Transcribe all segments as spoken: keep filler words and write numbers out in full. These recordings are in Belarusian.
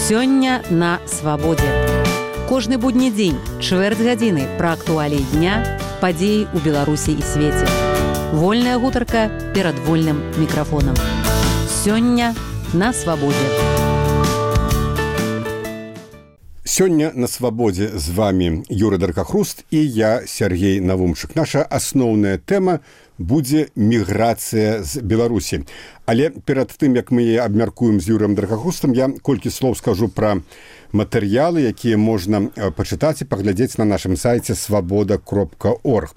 Сёння на свабодзе. Кожны будні дзень, чвэрць гадзіны пра актуаліі дня, падзеі ў Беларусі і свеце. Вольная гутарка перад вольным мікрафонам. Сёння на свабодзе. Сёння на свабодзе з вами Юры Даркахруст і я, Сергей Навумчык. Наша асноўная тэма будзе міграцыя з Беларусі. Але перад тым, як мы яе абмяркуем з Юрыем Даркахрустам, я колькі слоў скажу пра матэрыялы, якія можна пачытаць і паглядзець на нашым сайце свабода кропка орг.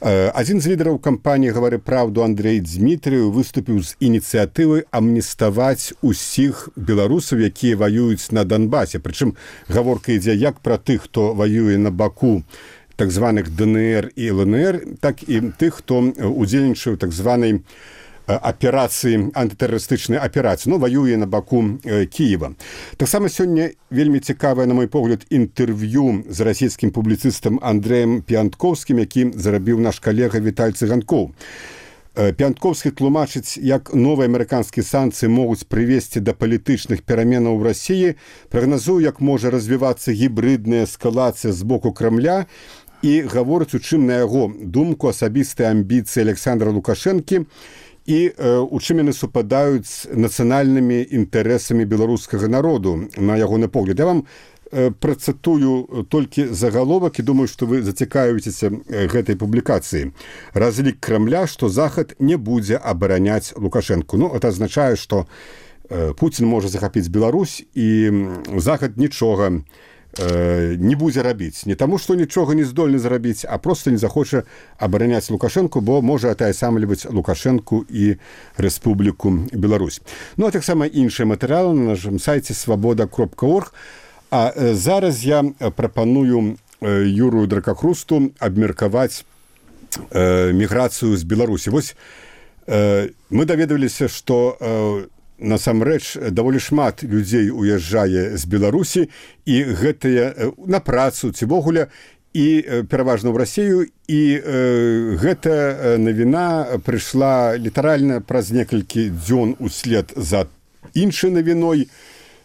Адзін з лідараў кампаніі «Гавары праўду» Андрэй Дзмітрыў выступіў з ініцыятывай амніставаць усіх беларусаў, якія ваююць на Донбасе. Прычым гаворка ідзе як пра тых, хто ваюе на баку так званых ДНР і ЛНР, так і тых, хто удзельнічае ў так званай аперацыі, антытэрарыстычнай аперацыі, ну, ваюе на баку э, Кіева. Таксама сёння вельмі цікавае, на мой погляд, інтэрв'ю з расійскім публіцыстам Андрэем Піянткоўскім, які зарабіў наш калега Віталь Цыганкоў. Э, Піянткоўскі тлумачыць, як новыя амерыканскія санкцыі могуць прывесці да палітычных пераменаў у Расіі, прагназуе, як можа развівацца гібрыдная эскалацыя з боку Крамля, і гаворыць, у чым, на яго думку, асабістыя амбіцыі Александра Лукашэнкі і э, у чым яны супадаюць з нацыянальнымі інтарэсамі беларускага народу, на ягоны погляд. Я вам э, працытую толькі загаловак і думаю, што вы зацікавіцеся э, гэтай публікацыі. Разлік Крамля, што Захад не будзе абараняць Лукашэнку. Ну, это азначае, што э, Пуцін можа захапіць Беларусь, і Захад нічога не будзе рабіць. Не таму, што нічога не здольны зрабіць, а проста не захоча абараняць Лукашэнку, бо можа атаясамліваць Лукашэнку і Рэспубліку Беларусь. Ну, а таксама іншыя матэрыялы на нашым сайце свабода кропка орг. А зараз я прапаную Юру Даркахрусту абмеркаваць міграцыю з Беларусі. Вось мы даведаваліся, што насамрэч даволі шмат людзей уязджае з Беларусі, і гэтыя на працу ці вогуле, і пераважна ў Расію, і э, гэта навіна прыйшла літаральна праз некалькі дзён услед за іншай навіной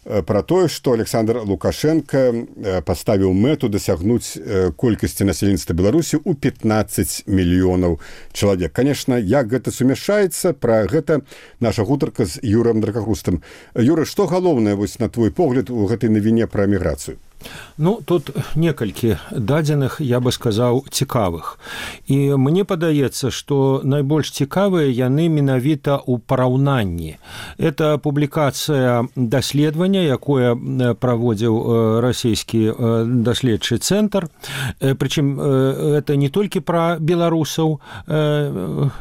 пра тое, што Александр Лукашенко паставіў мэту дасягнуць колькасці насельніцтва Беларусі ў пятнаццаць мільёнаў чалавек. Канешне, як гэта сумяшчаецца, пра гэта наша гутарка з Юрыем Даркахрустам. Юра, што галоўнае, вось, на твой погляд, у гэтай навіне пра міграцыю? Ну, тут некалькі дадзеных, я бы сказаў, цікавых. І мне падаецца, што найбольш цікавыя яны менавіта ў параўнанні. Это публікацыя даследавання, якое праводзіў расійскі даследчы цэнтр. Прычым, это не толькі пра беларусаў,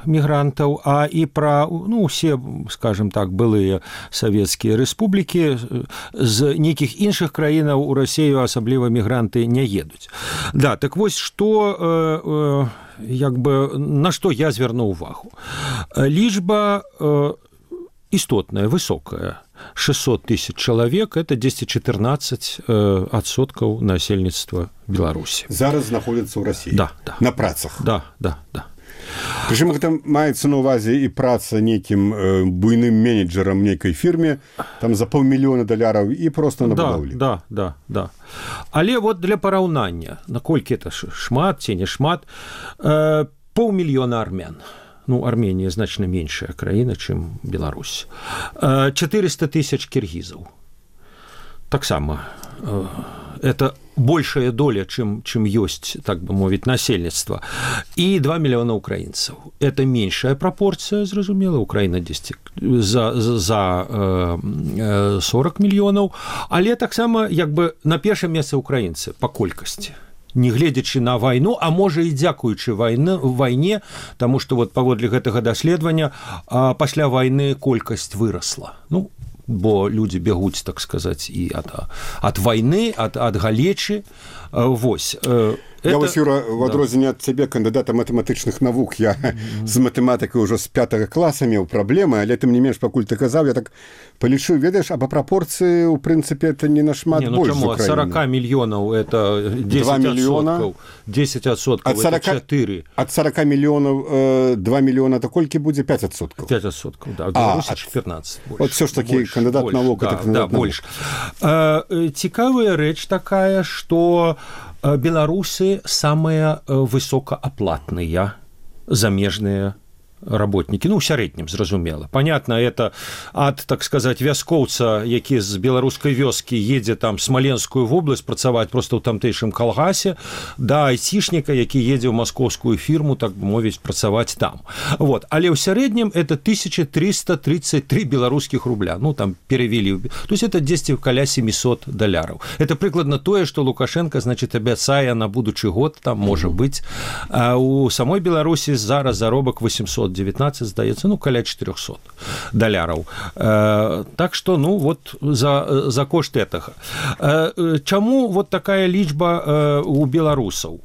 мігрантаў, а і пра, ну, усе, скажем так, былыя савецкія рэспублікі, з нейкіх іншых краінаў у Расіі асабліва мігранты не едуць. Да, так вось, што, э, э, як бы, на што я звярнуў увагу. Лічба э, істотная, высокая. шестьсот тысяч чалавек, это десять четырнадцать адсоткаў насельніцтва Беларусі. Зараз знаходзяцца ў Расіі? Да, да. На працах? Да, да, да. Прычым гэта маецца на ўвазе і праца нейкім э, буйным менеджерам нейкай фірме, там за паўмільёна даляраў і проста на будоўлі. Да, да, да, да. Але вот для параўнання, наколькі это шмат ці не шмат, э, паўмільёна армян. Ну, Арменія значна меншая краіна, чым Беларусь. Э, четыреста тысяч кіргізаў. Таксама э, это большая доля, чым, чым ёсць, так бы мовіць, насельніцтва. І два мільёна украінцаў. Это меншая прапорцыя, зразумела, Украіна дзесьці за, за э, сорок мільёнаў, але таксама, як бы, на першае месца украінцы па колькасці. Не гледзячы на вайну, а можа і дзякуючы вайне, вайне, таму што вот паводле гэтага даследавання а, пасля вайны колькасць вырасла. Ну, бо людзі бягуць, так сказаць, і ад, ад вайны, ад, ад галечы. Вось. Я вось, Юра, в адрозненне ад цябе, кандыдата матэматычных навук, я mm-hmm. з матэматыкай ўжо з пятага класа меў праблемы, але тым не менш, пакуль ты казаў, я так палічыў, ведаеш, а па прапорцыі, у прынцыпе, это не нашмат не, ну, больш чаму? з Украіны. Ад сорока мільёнаў это дзесяць адсоткаў. дзесяць адсоткаў это чатыры. Ад сорока мільёнаў э, два мільёна, то колькі будзе? пять адсоткаў. пять адсоткаў, да. Беларусі а, чатырнаццаць. Больш. Вот все ж таки больш, кандыдат больш, навук. Да, это кандыдат да, больш. Э, цікавая рэч такая, што беларусы самыя высокааплатныя замежныя работнікі, ну, у сярэднім, зразумела. Понятно, это ад, так сказать, вяскоўца, які з беларускай вёскі едзе там Смаленскую вобласць працаваць проста ў тамтэйшым калгасе, да айцішніка, які едзе ў маскоўскую фірму, так бы мовіць, працаваць там. Вот. Але ў сярэднім это тысяча триста тридцать три беларускіх рубля. Ну, там перевели. То есть это дзесьці каля семьсот даляраў. Это прыкладна тое, што Лукашенко, значит, абяцае на будучы год, там, можа быць. А у самой Беларусі зараз заробак восемьсот девятнадцать, здаецца, ну, каля четырёхсот даляраў. Э, так што, ну, вот за, за кошт гэтага. Э, чаму вот такая лічба э, у беларусаў?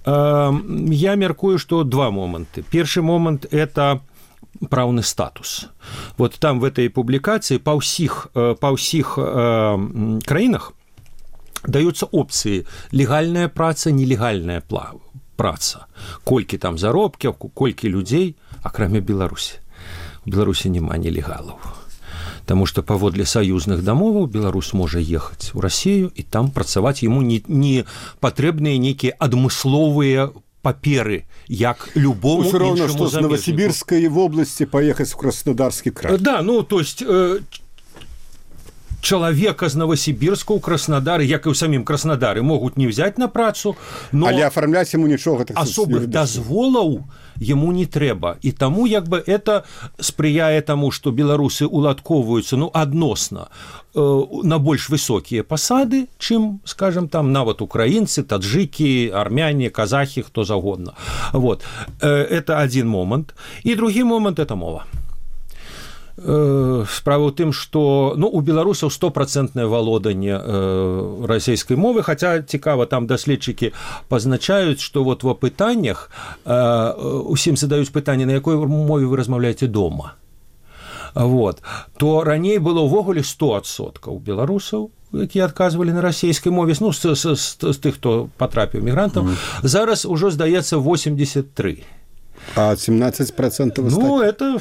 Э, я мяркую, што два моманты. Першы момант – это праўны статус. Вот там в этой публікацыі па ўсіх, па ўсіх э, краінах даюцца опцыі легальная праца, нелегальная праца. Колькі там заробкаў, колькі людзей, акрамя Беларусі. У Беларусі няма нелегалаў. Таму што паводле саюзных дамоваў беларус можа ехаць у Расію і там працаваць яму не, не патрэбныя нейкія адмысловыя паперы, як любому іншаму замежніку. Усё роўна, што з Новасібірскай вобласці паехаць у Краснодарскі край. Да, ну, то есть... Э, Чалавека з Новасібірска ў Краснадары, як і ў самім Краснадары, могуць не взять на працу, но але афармляць яму нічога так асобых дазволаў яму не трэба. І таму як бы это спрыяе таму, што беларусы уладкоўваюцца, ну, адносна э, на больш высокія пасады, чым, скажем, там нават украінцы, таджыкі, армяне, казахі, хто загодна. Вот. Э, это адзін момант. І другі момант – это мова. Справа ў тым, што ну, у беларусаў стопроцентнае валоданне э, расійскай мовы, хаця цікава, там даследчыкі пазначаюць, што вот ва пытаннях э, усім задаюць пытанне, на якой мове вы размаўляеце дома. Вот. То раней было ўвогуле сто адсоткаў беларусаў, якія адказвалі на расійскай мове, ну, з, з, з, з тых, хто патрапіў мігрантаў, mm-hmm. зараз ужо, здаецца, восемьдесят три. А семнадцать процентов ну, это...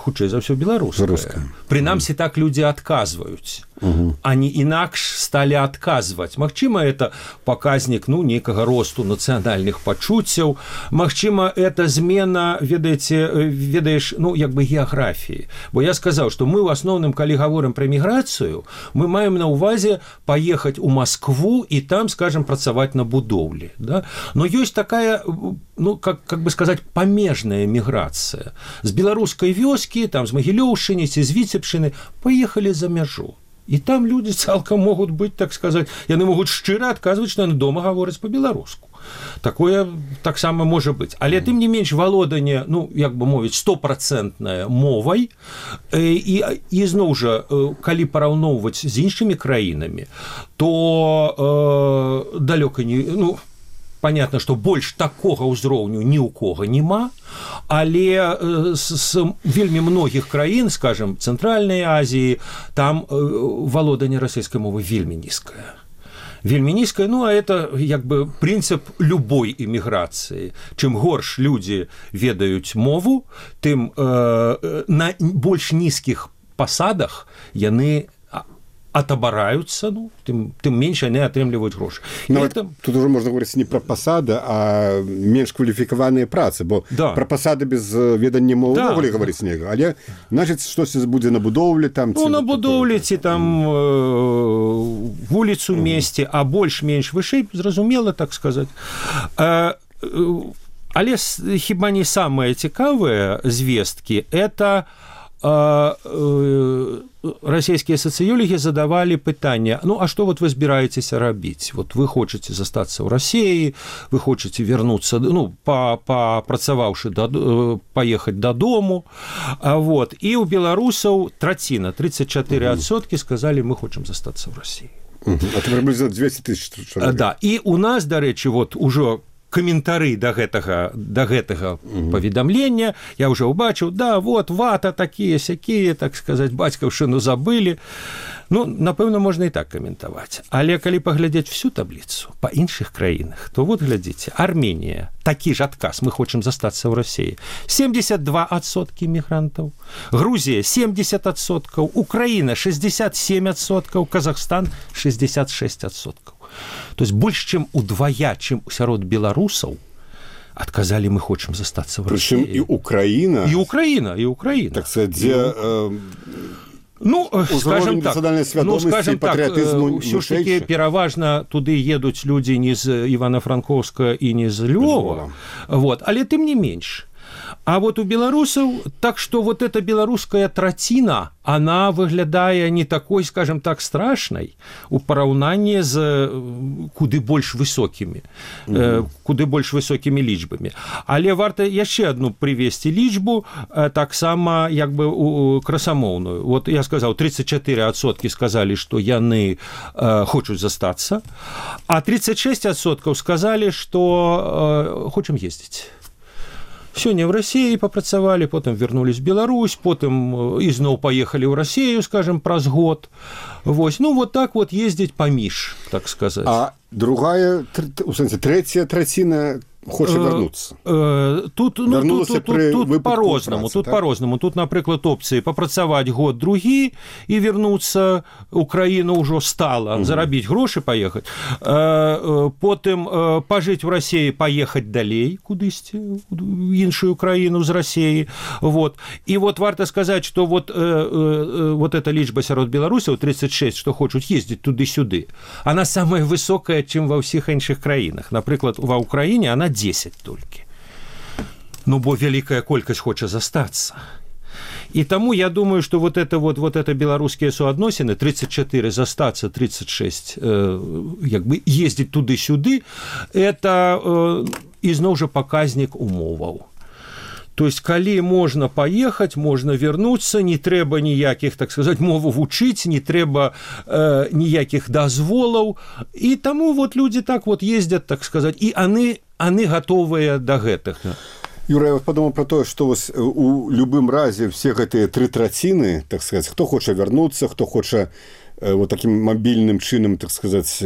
хутчэй за ўсё беларуская. Прынамсі так людзі адказваюць. Угу. Они інакш сталі адказваць. Магчыма, это паказнік ну, нейкага росту нацыянальных пачуццяў. Магчыма, это змена, ведаеце, ведаеш, ну, як бы геаграфіі. Бо я сказаў, што мы ў асноўным, калі гаворым пра міграцыю, мы маем на ўвазе паехаць у Маскву і там, скажем, працаваць на будоўлі. Да? Но ёсць такая, ну, как, как бы сказаць, памежная міграцыя. З беларускай вёскі, там, з Магілёўшчыны ці з Віцебшчыны паехалі за мяжу. І там людзі цалкам могуць быць, так сказаць, яны могуць шчыра адказваць, што яны дома гавораць па-беларуску. Такое таксама можа быць. Але тым не менш валоданне, ну, як бы мовіць, стопроцентнае мовай, і, і зноў жа, калі параўноўваць з іншымі краінамі, то э, далёка не... Ну, понятно, што больш такога ўзроўню ні ў кога няма, але з, з вельмі многіх краін, скажем, Цэнтральнай Азіі, там валоданне расійскай мовы вельмі нізкае. Вельмі нізкае, ну, а это як бы прынцып любой эміграцыі. Чым горш людзі ведаюць мову, тым э, на больш нізкіх пасадах яны атабараюцца, ну, тым, тым менш яны атрымліваюць грошы. Это... Тут уже можна говорыць не пра пасады, а менш кваліфікаваныя працы, бо да. Пра пасады без ведання мовы да. Увогуле гаварыць нельга. Але, значыць, штосьці будзе на будоўлі, там... Ну, ці... на будоўлі, ці там э, вуліцу месці, а больш-менш вышэй, зразумела, так сказаць. Э, э, але хіба не самае цікавае звесткі, это... Расійскія сацыёлагі задавалі пытанне, ну, а што вот вы збіраецеся рабіць? Вот вы хочаце застацца ў Расіі, вы хочаце вярнуцца, ну, папрацаваўшы, паехаць дадому, вот. І ў беларусаў траціна, тридцать четыре адсоткі сказалі, мы хочам застацца ў Расіі. А ты прыблізна двести тысяч чалавек. Да, і у нас, дарэчы, вот ужо каментары да гэтага да гэтага mm-hmm. паведамлення, я ўжо ўбачыў, да, вот вата такія сякія, так сказаць, бацькаўшчыну забылі. Ну, напэўна, можна і так каментаваць. Але калі паглядзець всю табліцу па іншых краінах, то вот глядзіце, Арменія, такі ж адказ, мы хочам застацца ў Расіі. семьдесят два адсоткі мігрантаў, Грузія семьдесят адсоткаў, Украіна шестьдесят семь адсоткаў, Казахстан шестьдесят шесть адсоткаў. То есть больш чым удвая, чым сярод беларусаў, адказалі, мы хочам застацца ў Расіі. Прычым і Украіна. І Украіна, і Украіна. Так сказать, дзе... Э... Ну, скажем так, ну, скажем так, все ж таки пераважна туды едуць людзі не з Івана-Франковска і не з Львова, вот, але тым не менш. А вот у беларусаў, так что вот эта беларуская траціна, она выглядае не такой, скажем так, страшнай у параўнанні з куды больш высокімі, mm-hmm. куды больш высокімі лічбамі. Але варта яшчэ адну прывесці лічбу, таксама як бы красамоўную. Вот я сказаў, тридцать четыре адсоткі сказалі, што яны э, хочуць застацца, а тридцать шесть адсоткаў сказалі, што э, хочам ездзіць. Сёння в России попрацавалі, потым вернулись в Беларусь, потым ізноў поехали в Россию, скажем, праз год. Вось. Ну, вот так вот ездить поміж, так сказать. А другая, у сэнсе, третья траціна хоча вярнуцца. Тут, ну, тут, тут, тут, тут по-рознаму, тут так? по-рознаму. Тут, напрыклад, опцыі папрацаваць год другі і вярнуцца ў краіну ўжо стала, угу. зарабіць грошы, паехаць. Потым пажыць у Расіі, паехаць далей кудысьці, у іншую краіну з Расіі. Вот. І вот варта сказаць, што вот, вот эта лічба сярод беларусаў, тридцать шесть, што хочуць ездзіць туды-сюды, она самая высокая, чым ва ўсіх іншых краінах. Напрыклад, ва Ўкраіне она десять толькі. Ну, бо вялікая колькасць хоча застацца. І таму я думаю, што вот это вот, вот это беларускія суадносіны, тридцать четыре застацца, тридцать шесть э, як бы ездзіць туды-сюды, это э, ізноў жа паказнік умоваў. То есть, калі можна паехаць, можна вярнуцца, не трэба ніякіх, так сказаць, мову вучыць, не трэба э, ніякіх дазволаў. І таму вот людзі так вот ездзяць, так сказаць, і яны, яны гатовыя да гэтага. Юра, я вот подумал про то, что у любым разе все гэтыя тры траціны, так сказать, хто хоча вярнуцца, хто хоча вот таким мобільным чынам, так сказать,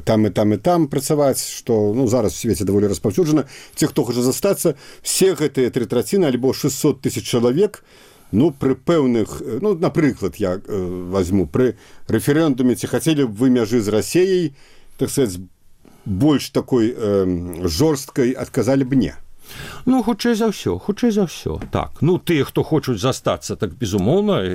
там і там і там працаваць, што ну, зараз у свеце даволі распаўсюджана. Те, хто хоча застацца, все гэтыя тры траціны, альбо шестьсот тысяч чалавек, ну, пры пэўных, ну, напрыклад, я э, возьму, пры рэферэндуме, ці хацелі б вы мяжы з Расіяй, так сказать, больш такой э, жорсткай адказалі б не. Ну, хутчэй за ўсё, хутчэй за ўсё. Так, ну, тыя, хто хочуць застацца, так, безумоўна,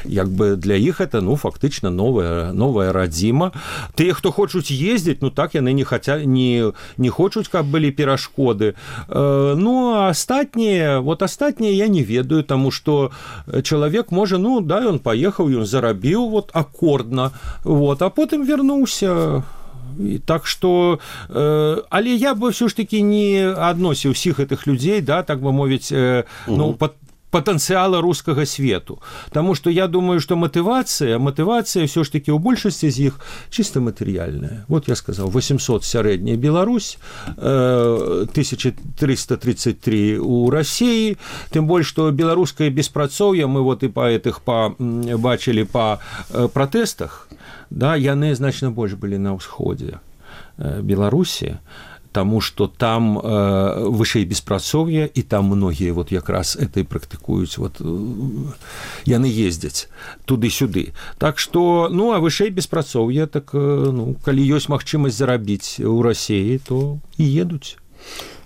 як бы для іх это, ну, фактычна новая, новая радзіма. Тыя, хто хочуць ездзіць, ну, так, яны не, хаця, не, не хочуць, каб былі перашкоды. Ну, а астатнія, вот астатнія я не ведаю, таму што чалавек можа, ну, да, ён паехаў, ён зарабіў, вот, аккордна, вот, а потым вярнуўся. І так што, э, але я бы ўсё ж такі не адносіў усіх гэтых людзей, да, так бы мовіць, э, ну, пад патэнцыяла рускага свету. Таму што я думаю, што матывацыя, матывацыя ўсё ж такі ў большасці з іх чыста матэрыяльная. Вот я сказаў, восемьсот сярэдняя Беларусь, э, тысяча триста тридцать три у Расіі, тым больш, што беларускае беспрацоўе, мы вот і па гэтых па, бачылі па э, пратэстах, да, яны значна больш былі на ўсходзе э, Беларусі, таму што там э, вышэй беспрацоўе, і там многія вот якраз это і практыкуюць, вот, э, яны ездзяць туды-сюды. Так што, ну, а вышэй беспрацоўе, так, э, ну, калі ёсць магчымасць зарабіць у Расіі, то і едуць.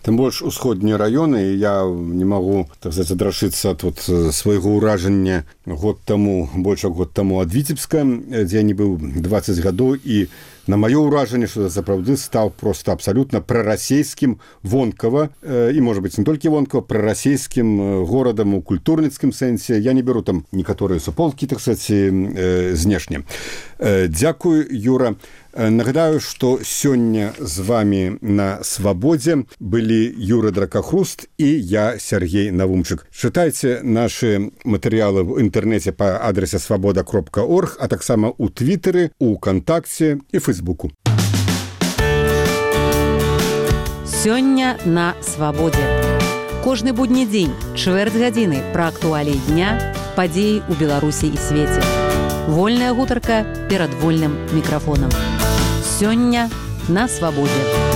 Тым больш усходнія раёны, я не магу, так сказать, адрашыцца ад вот свайго ўражання год таму, больш год таму ад Віцебска, дзе я не быў двадцать гадоў, і на маё ўражанне, што сапраўды стаў проста абсалютна прарасійскім вонкава, і, можа быць, не толькі вонкава, прарасійскім горадам у культурніцкім сэнсе. Я не беру там некаторыя суполкі, так сказать, знешне. Дзякуй, Юра. Нагадаю, што сёння з вами на Свабодзе былі Юра Дракахруст і я, Сергей Навумчык. Чытайце нашы матэрыялы ў інтэрнэце па адрасе свабода кропка орг, а таксама ў Твітэры, у Кантакце і Фэйсбуку. Сёння на свабодзе. Кожны будні дзень, чвэрць гадзіны пра актуаліі дня, падзеі ў Беларусі і свеце. Вольная гутарка перад вольным мікрафонам. Сёння на свабодзе.